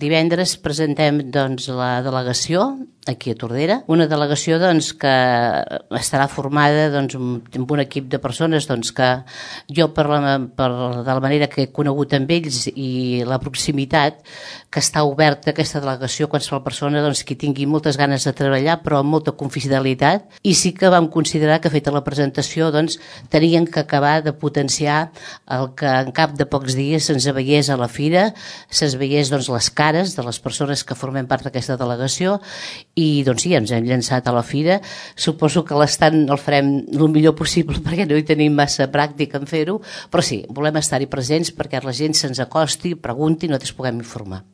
Divendres presentem la delegació aquí a Tordera, una delegació que estarà formada amb un equip de persones que jo de la manera que he conegut amb ells i la proximitat, que està oberta aquesta delegació a qualsevol persona que tingui moltes ganes de treballar però amb molta confidencialitat, i sí que vam considerar que feta la presentació tenien que acabar de potenciar el que en cap de pocs dies se'ns veiés a la fira, se'ns veiés les cares de les persones que formem part d'aquesta delegació. I sí, ens hem llançat a la fira. Suposo que l'estant el farem el millor possible perquè no hi tenim massa pràctica en fer-ho, però sí, volem estar-hi presents perquè la gent se'ns acosti, pregunti i nosaltres puguem informar.